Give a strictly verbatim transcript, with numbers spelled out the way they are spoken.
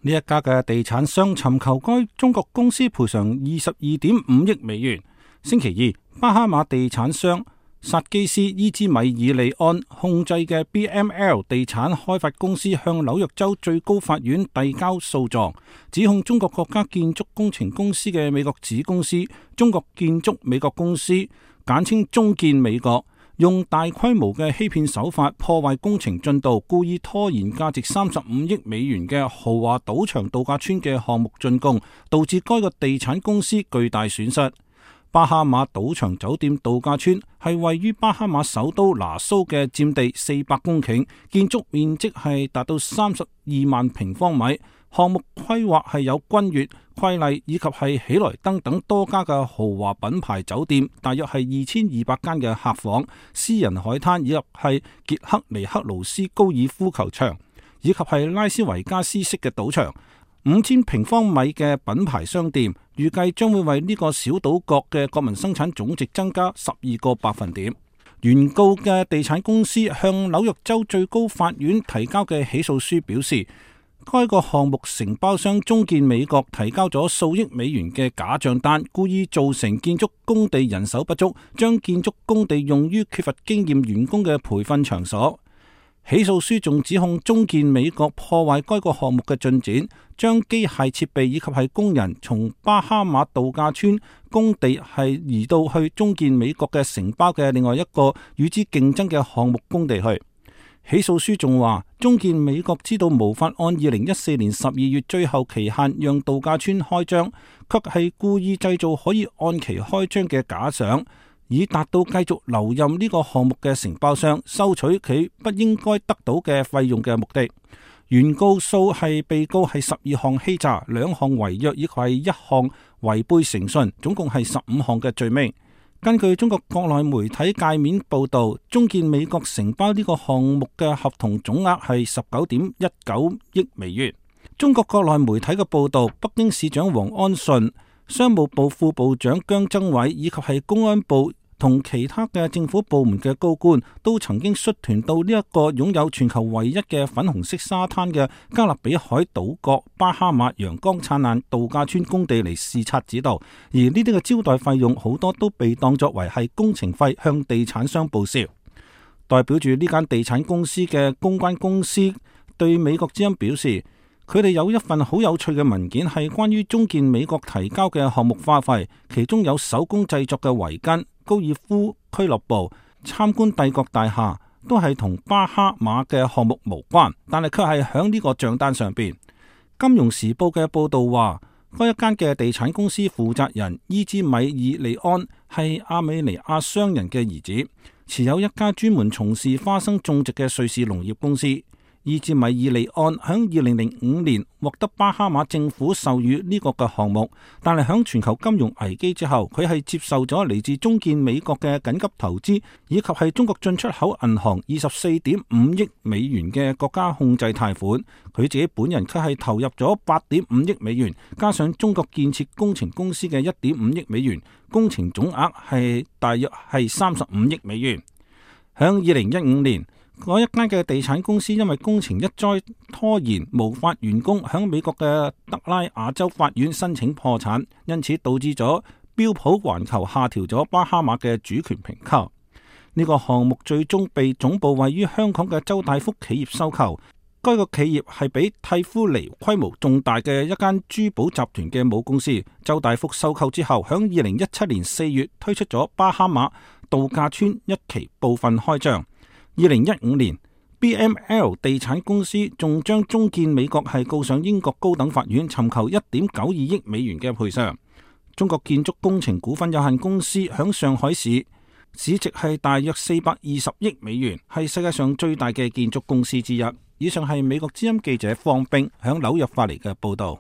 呢一家嘅地產商尋求該中國公司賠償二十二點五億美元。星期二，巴哈馬地產商薩基斯伊茲米爾利安控制嘅 B M L 地產開發公司向紐約州最高法院遞交訴狀，指控中國國家建築工程公司嘅美國子公司中國建築美國公司，簡稱中建美國，用大規模嘅欺騙手法破壞工程進度，故意拖延價值三十五億美元嘅豪華賭場度假村嘅項目竣工，導致該個地產公司巨大損失。巴哈馬賭場酒店度假村係位於巴哈馬首都拿蘇嘅，佔地四百公頃，建築面積係達到三十二萬平方米。項目規劃係有君悅、瑰麗以及係喜來登等多家嘅豪華品牌酒店，大約係二千二百間嘅客房、私人海灘以及係傑克尼克勞斯高爾夫球場，以及係拉斯維加斯式嘅賭場。五千平方米嘅品牌商店，預計將會為呢個小島國嘅國民生產總值增加十二個百分點。原告嘅地產公司向紐約州最高法院提交嘅起訴書表示，該個項目承包商中建美國提交咗數億美元嘅假賬單，故意造成建築工地人手不足，將建築工地用於缺乏經驗員工嘅培訓場所。起訴書仲指控中建美國破壞該個項目嘅進展，將機械設備以及係工人從巴哈馬度假村工地係移到去中建美國嘅承包嘅另外一個與之競爭嘅項目工地去。起訴書仲話，中建美國知道無法按二零一四年十二月最後期限讓度假村開張，卻係故意製造可以按期開張嘅假象，以達到繼續留任呢個項目嘅承包商收取佢不應該得到嘅費用嘅目的。原告訴係被告係十二項欺詐、兩項違約以及係一項違背誠信，總共係十五項嘅罪名。根據中國國內媒體界面報道，中建美國承包呢個項目嘅合同總額係十九點一九億美元。中國國內媒體嘅報道，北京市長王安順、商務部副部長姜增偉以及係公安部同其他嘅政府部門嘅高官都曾經率團到呢一個擁有全球唯一嘅粉紅色沙灘嘅加勒比海島國巴哈馬陽光燦爛度假村工地嚟視察指導，而呢啲嘅招待費用好多都被當作為係工程費向地產商報銷。代表住呢間地產公司嘅公關公司對美國之音表示，佢哋有一份好有趣嘅文件，係關於中建美國提交嘅項目花費，其中有手工製作嘅圍巾、高爾夫俱樂部、參觀帝國大廈，都係同巴哈馬嘅項目無關，但係卻係響呢個賬單上邊。金融時報嘅報道話，該一間嘅地產公司負責人伊茲米爾利安係亞美尼亞商人嘅兒子，持有一家專門從事花生種植嘅瑞士農業公司。伊茲米爾利安響二零零五年獲得巴哈馬政府授予呢個嘅項目，但係響全球金融危機之後，佢係接受咗嚟自中建美國嘅緊急投資，以及係中國進出口銀行二十四點五億美元嘅國家控制貸款。佢自己本人卻係投入咗八點五億美元，加上中國建設工程公司嘅一點五億美元，工程總額係大約係三十五億美元。響二零一五年，嗰一間嘅地產公司因為工程一再拖延，無法完工，響美國嘅德拉瓦州法院申請破產，因此導致咗標普環球下調咗巴哈馬嘅主權評級。呢個項目最終被總部位於香港嘅周大福企業收購。該個企業係比蒂夫尼規模重大嘅一間珠寶集團嘅母公司。周大福收購之後，響二零一七年四月推出咗巴哈馬度假村一期部分開張。二零一五年 B M L 地產公司仲將中建美國係告上英國高等法院，尋求一點九二億美元嘅賠償。中國建築工程股份有限公司響上海市市值係大約四百二十億美元，係世界上最大嘅建築公司之一。以上係美國之音記者方冰響紐約發嚟嘅報道。